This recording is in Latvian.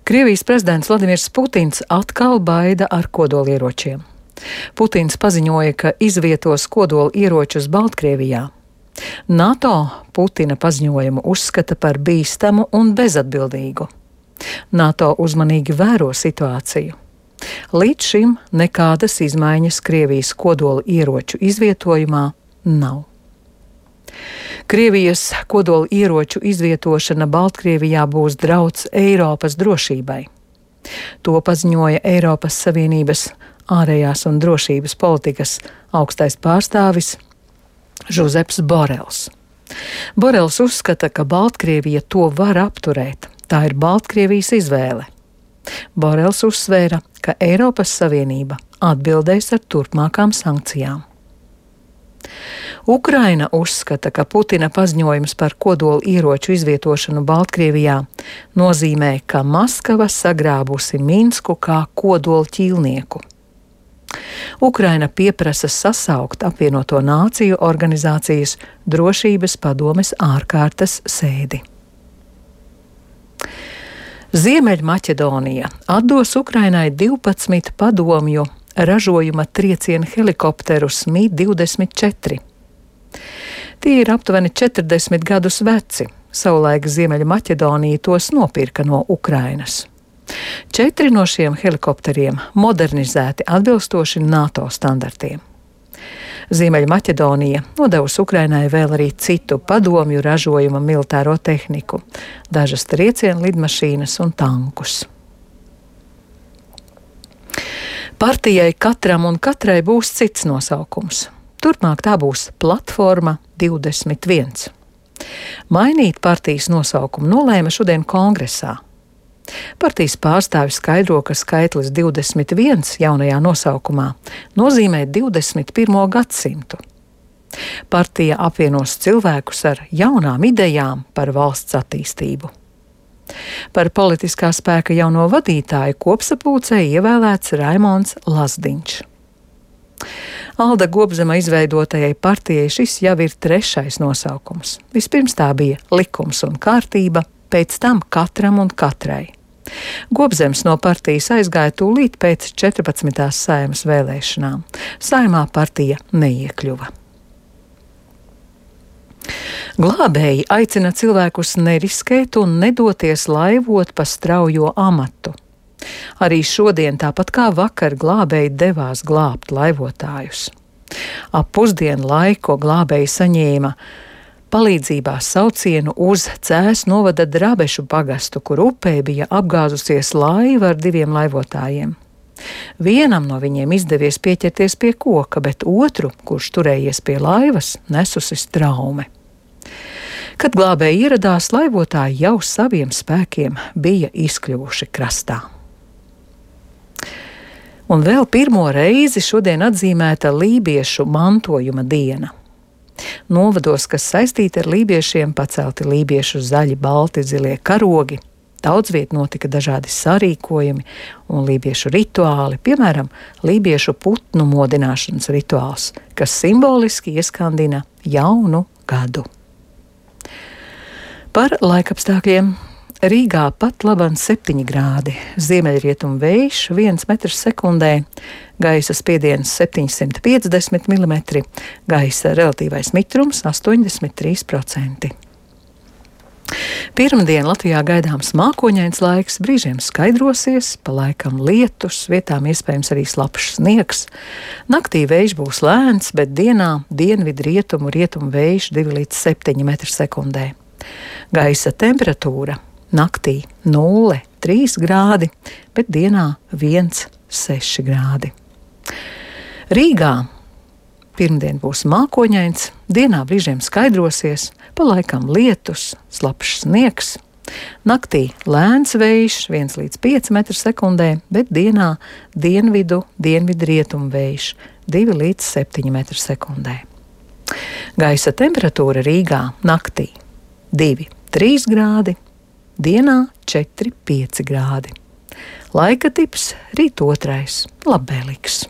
Krievijas prezidents Vladimirs Putins atkal baida ar kodolieročiem. Putins paziņoja, ka izvietos kodolieročus Baltkrievijā. NATO Putina paziņojumu uzskata par bīstamu un bezatbildīgu. NATO uzmanīgi vēro situāciju. Līdz šim nekādas izmaiņas Krievijas kodolieroču izvietojumā nav. Krievijas kodolieroču izvietošana Baltkrievijā būs drauds Eiropas drošībai. To paziņoja Eiropas Savienības ārējās un drošības politikas augstais pārstāvis Žozeps Borels. Borels uzskata, ka Baltkrievija to var apturēt. Tā ir Baltkrievijas izvēle. Borels uzsvēra, ka Eiropas Savienība atbildēs ar turpmākām sankcijām. Ukraina uzskata, ka Putina paziņojums par kodolieroču izvietošanu Baltkrievijā nozīmē, ka Maskava sagrābusi Minsku kā kodolķīlnieku. Ukraina pieprasa sasaukt apvienoto nāciju organizācijas drošības padomes ārkārtas sēdi. Ziemeļmaķedonija atdos Ukrainai 12 padomju ražojuma trieciena helikopterus Mi-24. Tie ir aptuveni 40 gadus veci. Savulaik Ziemeļmaķedonija tos nopirka no Ukrainas. 4 no šiem helikopteriem modernizēti atbilstoši NATO standartiem. Ziemeļmaķedonija nodevusi Ukrainai vēl arī citu padomju ražojuma militāro tehniku, dažas triecienu lidmašīnas un tankus. Partijai Katram un katrai būs cits nosaukums. Turpmāk tā būs Platforma 21. Mainīt partijas nosaukumu nolēma šodien kongresā. Partijas pārstāvis skaidro, ka skaitlis 21 jaunajā nosaukumā nozīmē 21. gadsimtu. Partija apvienos cilvēkus ar jaunām idejām par valsts attīstību. Par politiskā spēka jauno vadītāju kopsapulcē ievēlēts Raimonds Lazdiņš. Alda Gobzema izveidotajai partijai šis jau ir 3. nosaukums. Vispirms tā bija Likums un kārtība, pēc tam Katram un katrai. Gobzems no partijas aizgāja tūlīt pēc 14. Saeimas vēlēšanām. Saeimā partija neiekļuva. Glābēji aicina cilvēkus neriskēt un nedoties laivot pa straujo amatu. Arī šodien, tāpat kā vakar, glābēji devās glābt laivotājus. Ap pusdienu laiku glābēji saņēma palīdzībā saucienu uz Cēs novada Drabešu pagastu, kur upē bija apgāzusies laiva ar 2 laivotājiem. Vienam no viņiem izdevies pieķerties pie koka, bet otru, kurš turējies pie laivas, nesusi traume. Kad glābēji ieradās, laivotāji jau saviem spēkiem bija izkļuvuši krastā. Un vēl pirmo reizi šodien atzīmēta lībiešu mantojuma diena. Novados, kas saistīti ar lībiešiem, pacelti lībiešu zaļi, balti, zilie karogi. Daudz viet notika dažādi sarīkojumi un lībiešu rituāli, piemēram, lībiešu putnu modināšanas rituāls, kas simboliski ieskandina jaunu gadu. Par laikapstākļiem. Rīgā pat laban 7 grādi, ziemeļrietumu vējš 1 metrs sekundē, gaisa spiediens 750 mm, gaisa relatīvais mitrums 83%. Pirmdien Latvijā gaidāms mākoņains laiks, brīžiem skaidrosies, pa laikam lietus, vietām iespējams arī slapjš sniegs. Naktī vējš būs lēns, bet dienā dienvidrietumu rietumu vējš 2 līdz 7 metri sekundē. Gaisa temperatūra naktī 0,3 grādi, bet dienā 1,6 grādi. Rīgā pirmdien būs mākoņains, dienā brīžiem skaidrosies, pa laikam lietus, slapjš sniegs. Naktī lēns vējš 1 līdz 5 metri sekundē, bet dienā dienvidrietumu vējš 2 līdz 7 metri sekundē. Gaisa temperatūra Rīgā naktī 2,3 grādi, dienā 4,5 grādi. Laika tips rīt 2. labvēlīgs.